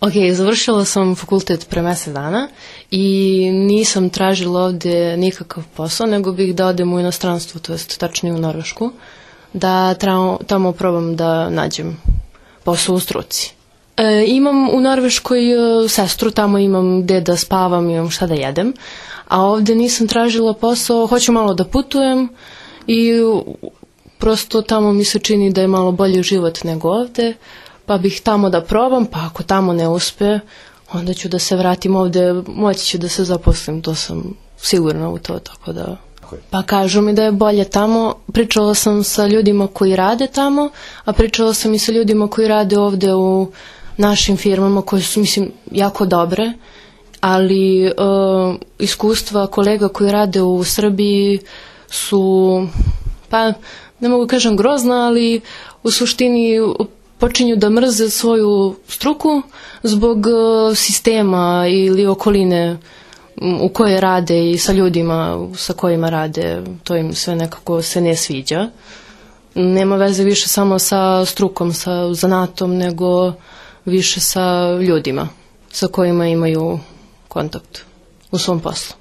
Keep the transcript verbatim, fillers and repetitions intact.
Ok, završila sam fakultet pre mesec dana i nisam tražila ovde nikakav posao, nego bih da odem u inostranstvo, to jest tačnije u Norvešku, da tamo, tamo probam da nađem posao u struci. E, imam u Norveškoj e, sestru, tamo imam gde da spavam, imam šta da jedem, a ovde nisam tražila posao, hoću malo da putujem i prosto tamo mi se čini da je malo bolji život nego ovde, pa bih tamo da probam, pa ako tamo ne uspe, onda ću da se vratim ovde, moći ću da se zaposlim, to sam sigurna u to, tako da... Pa kažu mi da je bolje tamo, pričala sam sa ljudima koji rade tamo, a pričala sam i sa ljudima koji rade ovde u našim firmama koje su, mislim, jako dobre, ali uh, iskustva kolega koji rade u Srbiji su, pa ne mogu kažem grozna, ali u suštini počinju da mrze svoju struku zbog uh, sistema ili okoline u kojoj rade i sa ljudima sa kojima rade, to im sve nekako se ne sviđa. Nema veze više samo sa strukom, sa zanatom, nego više sa ljudima sa kojima imaju kontakt u svom poslu.